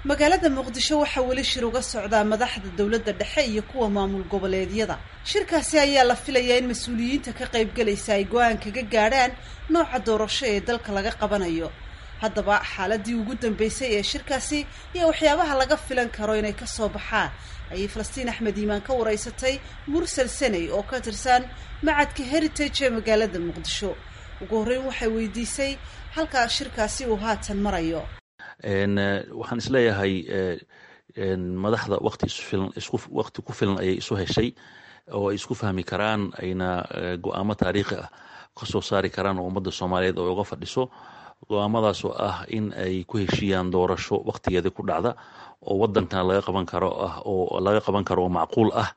Magaalada Muqdisho waxaa weli shir uga socdaa madaxda dowladda dhexe iyo kuwa maamul goboleedyada. Shirkaasi ayaa la filayaa in mas-uuliyiinta ka qaybgalaysa ay go-aan kaga gaadhaan nooca doorasho ee dalka laga qabanayo. Haddaba xaaladii ugu dambeysay ee shirkaasi iyo waxyaabaha laga filan karo inay ka soo baxaan ayay Falastiin Axmed Iimaan ka wareysatay Mursal Saney oo ka tirsan Macadka Heritage ee magaalada Muqdisho. Ugu horreyn waxay weydiisay halkaa shirkaasi uu haatan marayo. Waxaan isleeyahay madaxda waqti isfilan, isku waqti ku filan ayay isu heshay oo ay isku fahmi karaan, ayna go-aamo taariikhi ah ka soo saari karaan oo ummadda Soomaaliyeed oo uga fadhiso. Go-aamadaas oo ah in ay ku heshiiyaan doorasho waqtigeeda ku dhacda oo wadankan laga qaban karo ah, oo laga qaban karo oo macquul ah,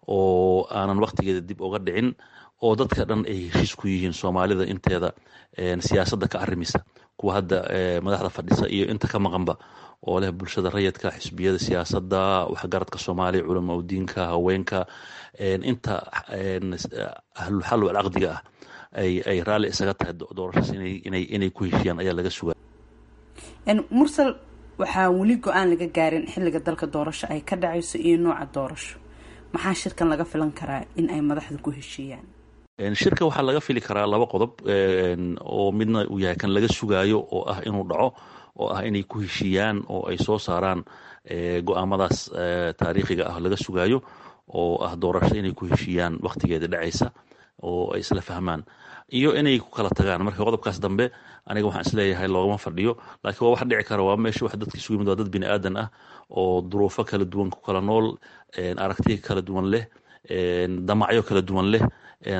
oo aanan waqtigeeda dib uga dhicin, oo dadka dhan ay heshiis ku yihiin, Soomaalida inteeda siyaasadda ka arrimisa, kuwa hadda madaxda fadhisa iyo inta ka maqanba, oo leh bulshada rayidka, xisbiyada siyaasadda, waxgaradka Soomaaliya, culamaa udiinka, haweenka, inta ahlulxal walcaqdiga ah ay raalli isaga tahay doorashaas inay ku heshiiyaan ayaa laga sugaa. Mursal, waxaa weli go-aan laga gaarin xilliga dalka doorasho ay ka dhacayso iyo nooca doorasho. Maxaa shirkan laga filan karaa in ay madaxda ku heshiiyaan? Shirka waxaa laga fili karaa laba qodob, oo midna uu yahay kan laga sugaayo oo ah inuu dhaco, oo ah inay ku heshiiyaan oo ay soo saaraan go-aamadaas taariikhiga ah laga sugaayo, oo ah doorasho inay ku heshiiyaan waqtigeeda dhacaysa oo ay isla fahmaan, iyo inay ku kala tagaan. Marka qodobkaas dambe aniga waxaan isleeyahay loogama fadhiyo, laakiin waa wax dhici kara. Waa meesha wax dadka isugu yimid, waa dad bini aadan ah oo duruufo kala duwan ku kala nool, aragtiyo kala duwan leh, damacyo kala duwan leh,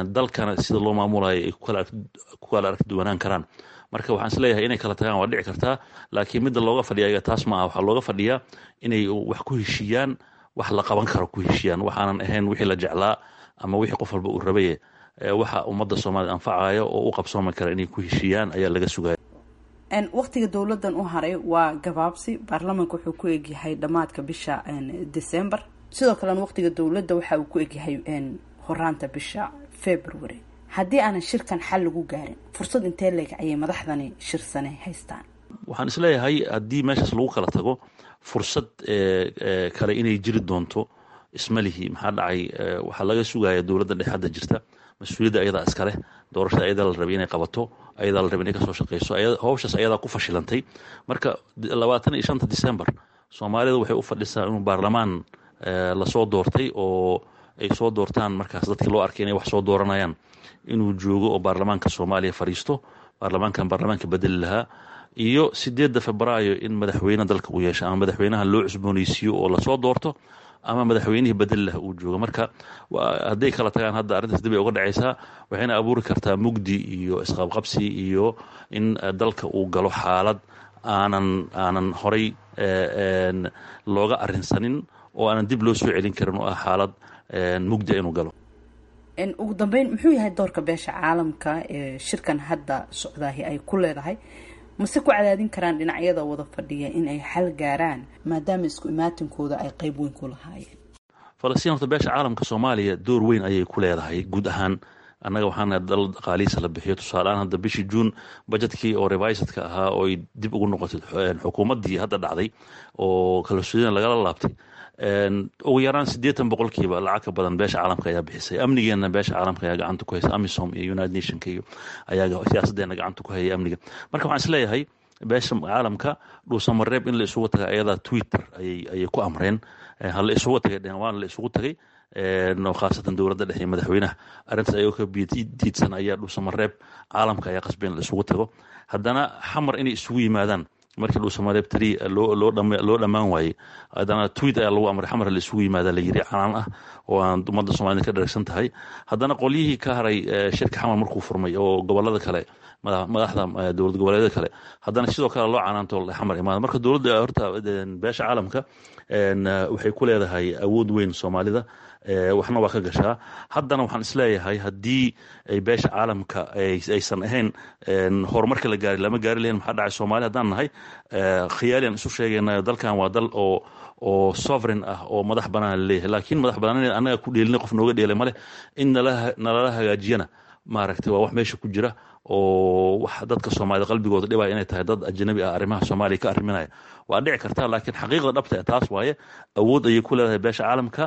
dalkana sida loo maamulayo ay ku kala aragti duwanaan karaan. Marka waxaan isleeyahay inay kala tagaan waa dhici kartaa, laakiin midda looga fadhiya taas ma aha. Waxaa looga fadhiyaa inay wax ku heshiiyaan, wax la qaban karo ku heshiiyaan, waxaanan ahayn wixii la jeclaa ama wixii qof walba uu rabaye, waxa ummadda Soomaalida anfacaya oo u qabsoomi kara inay ku heshiiyaan ayaa laga sugaya. Waqtiga dowladan u haray waa gabaabsi. Baarlamaanka wuxuu ku egyahay dhammaadka bisha December, sidoo kalena waqtiga dowladda waxa uu ku egyahay horaanta bisha February. Haddii aanan shirkan xal lagu gaarin, fursad intee leeg ayay madaxdani shirsane haystaan? Waxaan isleeyahay haddii meeshaas lagu kala tago, fursad kale inay jiri doonto ismalihi. Maxaa dhacay? Waxaa laga sugaya dowladda dhexe hadda jirta mas-uuliyadda ayadaa iskaleh. Doorashada ayadaa la rabay inay qabato, ayadaa la rabay inay kasoo shaqeyso, howshaas ayadaa ku fashilantay. Marka 25-ta December Soomaalida waxay u fadhisaa inuu baarlamaan lasoo doortay oo ay soo doortaan markaas dadkii loo arkay inay wax soo dooranayaan inuu joogo oo baarlamaanka Soomaaliya fadhiisto, baarlamaankan baarlamaanka bedeli lahaa, iyo 8-da Febraayo in madaxweyne dalka uu yeesho, ama madaxweynaha loo cusbooneysiiyo oo lasoo doorto, ama madaxweynihii bedeli laha uu joogo. Marka hadday kala tagaan hadda, arrintaas dib ay uga dhacaysaa, waxayna abuuri kartaa mugdi iyo isqabqabsi iyo in dalka uu galo xaalad aanan horay looga arrinsanin oo aanan dib loo soo celin karin, oo ah xaalad mugdi inuu galo. Ugu dambeyn, muxuu yahay doorka beesha caalamka ee shirkan hadda socdaahi ay ku leedahay? Mase ku cadaadin karaan dhinacyada wada fadhiya in ay xal gaaraan, maadaama isku imaatinkooda ay qeyb weyn ku lahaayeen? Falastiin, horta beesha caalamka Soomaaliya door weyn ayay ku leedahay guud ahaan. Annaga waxaana dal dhaqaalihiisa la bixiyo. Tusaaleaan, hadda bishii Juun budgetkii oo revisedka ahaa oo ay dib ugu noqotay xukuumaddii hadda dhacday oo kalsoonida lagala laabtay, ugu yaraan 80% lacag ka badan beesha caalamka ayaa bixisay. Amnigeena beesha caalamka ayaa gacanta ku haysa, AMISOM iyo United Nationka iyo ayaa siyaasaddeena gacanta ku hayay amniga. Marka waxaan isleeyahay beesha caalamka Dhuusamareeb in la isugu tagay ayadaa Twitter ayay ku amreen, hala isugu tagay dhehen, waana la isugu tagay, khaasatan dowladda dhexe iyo madaxweynaha. Arrintaas ayagoo ka diidsan ayaa Dhuusamareeb caalamka ayaa qasbay in la isugu tago. Haddana Xamar inay isugu yimaadaan markii Dhuusamareeb tiri loo dhammaan waayey, haddana tweet ayaa lagu amray Xamar la isugu yimaada la yiri, canaan ah oo aan ummadda Soomaalida ka dharagsan tahay. Haddana qolyihii ka haray shirka Xamar markuu furmay oo gobolada kale, madaxda dowlad goboleedyada kale, haddana sidoo kale loo canaanto Xamar imaada. Marka dowladda horta beesha caalamka waxay ku leedahay awood weyn Soomaalida, waxna waa ka gashaa. Haddana waxaan isleeyahay haddii ay beesha caalamka aysan ahayn, horumarka la gaari lama gaari lahayn. Maxaa dhacay? Soomaali haddaan nahay, khiyaalian isu sheegaynayo, dalkan waa dal oo sovereign ah oo madax banaan laleeyahay, laakiin madax banaan annaga ku dheelina, qof nooga dheelay male. In nalala hagaajiyana maaragtay waa wax meesha ku jira. Oo wax dadka Soomaalida qalbigooda dhibaya inay tahay dad ajnabi ah arrimaha Soomaaliya ka arriminaya waa dhici kartaa, laakiin xaqiiqda dhabta taas waaye. Awood ayay ku leedahay beesha caalamka.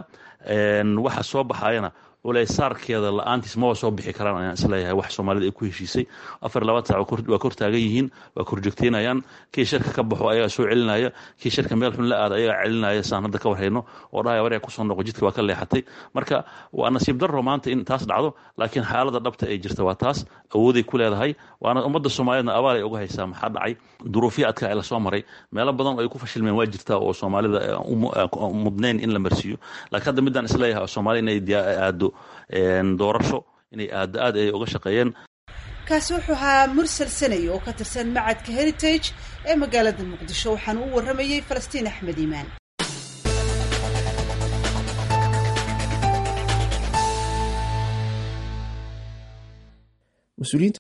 Waxa soo baxayana culaysaarkeeda la-aantiis maba soo bixi karaan ayaan isleeyahay. Wax Soomaalida ay ku heshiisay 24 saac waa kor taagan yihiin, waa korjoogteynayaan. Kii shirka ka baxo ayagaa soo celinaya, kii shirka meel xun la aada ayagaa celinaya, saan hadda ka warhayno oo dhahaya waryaa kusoo noqo, jidka waa ka leexatay. Marka waa nasiib darro maanta in taas dhacdo, laakiin xaaladda dhabta ay jirta waa taas. Awooday ku leedahay, waana ummadda Soomaaliyeedna abaal ay uga haysaa. Maxaa dhacay? Duruufyo adkaa ee lasoo maray, meelo badan oo ay ku fashilmeen waa jirtaa oo Soomaalida mudnayn in la marsiiyo. Laakiin hadda midaan isleeyahay oo Soomaaliya inay aado doorasho, inay aado, aad ay uga shaqeeyeen. Kaasi wuxuu ahaa Mursal Sanay oo ka tirsan macadka Heritage ee magaalada Muqdisho, waxaana u warramayey Falastiin Axmed Iimaan. Mas-uuliyiinta